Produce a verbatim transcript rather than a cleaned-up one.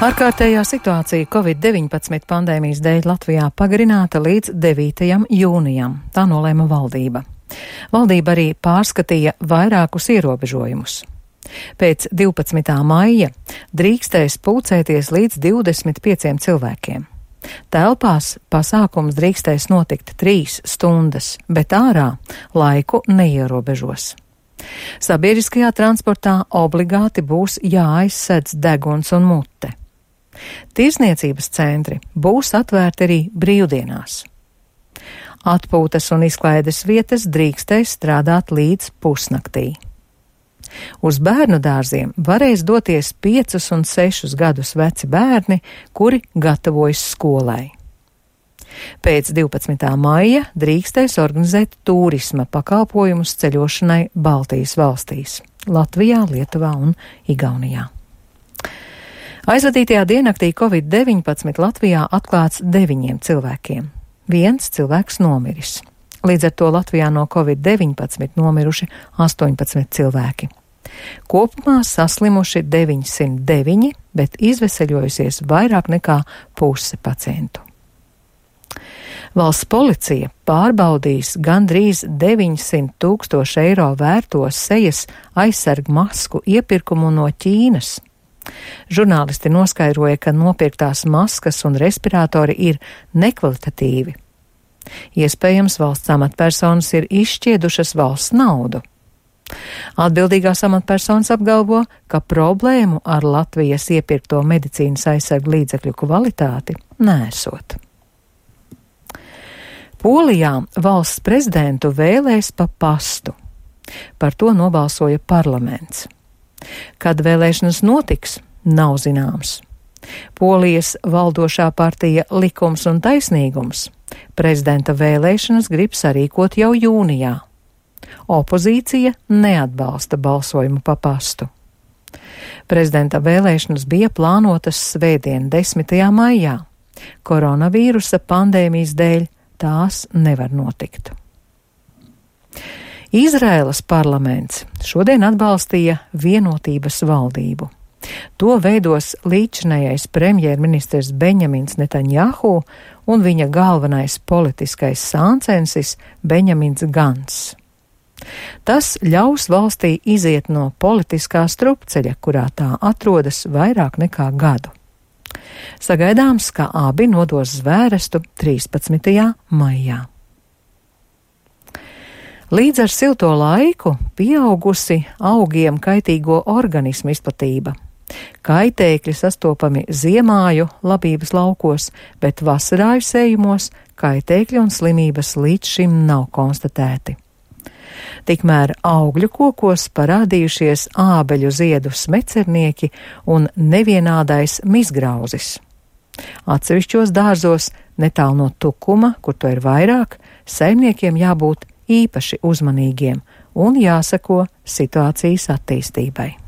Ārkārtējā situācija covid deviņpadsmit pandēmijas dēļ Latvijā pagarināta līdz devītajam jūnijam. Tā nolēma valdība. Valdība arī pārskatīja vairākus ierobežojumus. Pēc divpadsmitā maija drīkstēs pulcēties līdz divdesmit pieciem cilvēkiem. Telpās pasākums drīkstēs notikt trīs stundas, bet ārā laiku neierobežos. Sabiedriskajā transportā obligāti būs jāaizsedz deguns un mute. Tirsniecības centri būs atvērti arī brīvdienās. Atpūtas un izklaides vietas drīkstēs strādāt līdz pusnaktī. Uz bērnu dārziem varēs doties piecus un sešus gadus veci bērni, kuri gatavojas skolai. Pēc divpadsmitā maija drīkstēs organizēt turisma pakalpojumus ceļošanai Baltijas valstīs – Latvijā, Lietuvā un Igaunijā. Aizvadītajā diennaktī covid deviņpadsmit Latvijā atklāts deviņiem cilvēkiem. Viens cilvēks nomiris. Līdz ar to Latvijā no covid deviņpadsmit nomiruši astoņpadsmit cilvēki. Kopumā saslimuši deviņsimt deviņi, bet izveseļojusies vairāk nekā puse pacientu. Valsts policija pārbaudīs gandrīz deviņsimt tūkstoši eiro vērto sejas aizsargu masku iepirkumu no Ķīnas. Žurnālisti noskaidroja, ka nopirktās maskas un respiratori ir nekvalitatīvi. Iespējams, valsts amatpersonas ir izšķiedušas valsts naudu. Atbildīgās amatpersonas apgalvo, ka problēmu ar Latvijas iepirkto medicīnas aizsargu līdzekļu kvalitāti nesot. Polijā valsts prezidentu vēlēs pa pastu. Par to nobalsoja parlaments. Kad vēlēšanas notiks, nav zināms. Polijas valdošā partija Likums un taisnīgums prezidenta vēlēšanas grib sarīkot jau jūnijā. Opozīcija neatbalsta balsojumu pa pastu. Prezidenta vēlēšanas bija plānotas svētdien, desmitajā maijā. Koronavīrusa pandēmijas dēļ tās nevar notikt. Izraēlas parlaments šodien atbalstīja vienotības valdību. To veidos līdzinājais premjerministrs Benjamins Netanjahu un viņa galvenais politiskais sāncensis Benjamins Gants. Tas ļaus valstī iziet no politiskā strupceļa, kurā tā atrodas vairāk nekā gadu. Sagaidāms, ka abi nodos zvērestu trīspadsmitajā maijā. Līdz ar silto laiku pieaugusi augiem kaitīgo organismu izplatība. Kaitēkļi sastopami ziemāju labības laukos, bet vasarāju sējumos kaitēkļi un slimības līdz šim nav konstatēti. Tikmēr augļu kokos parādījušies ābeļu ziedu smecernieki un nevienādais mizgrauzis. Atsevišķos dārzos, netālu no tukuma, kur to ir vairāk, saimniekiem jābūt īpaši uzmanīgiem un jāseko situācijas attīstībai.